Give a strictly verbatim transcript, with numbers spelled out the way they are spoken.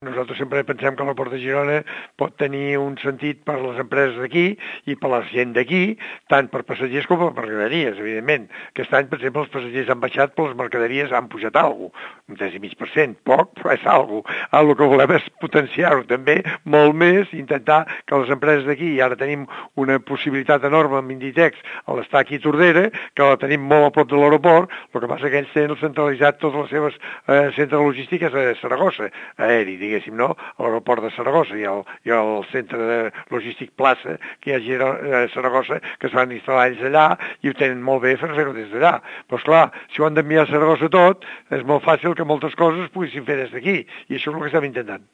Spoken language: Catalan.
Nosaltres sempre pensem que l'aeroport de Girona pot tenir un sentit per les empreses d'aquí i per la gent d'aquí, tant per passatgers com per mercaderies, evidentment. Aquest any, per exemple, els passatgers han baixat, però les mercaderies han pujat alguna cosa, un tres i mig per cent, poc, però és alguna cosa. El que volem és potenciar-ho també molt més, intentar que les empreses d'aquí, i ara tenim una possibilitat enorme amb Inditex a l'estar aquí a Tordera, que la tenim molt a prop de l'aeroport, el que passa que ells tenen centralitzat totes les seves eh, centres logístiques a Saragossa, aeri, diguéssim, no? A l'aeroport de Saragossa i al, i al centre de logístic Plaça, que hi ha a Girona, a Saragossa, que es van instal·lar ells allà i ho tenen molt bé fer-ho des d'allà. Però, esclar, si ho han d'enviar a Saragossa tot, és molt fàcil que moltes coses es poguessin fer des d'aquí, i això és el que estem intentant.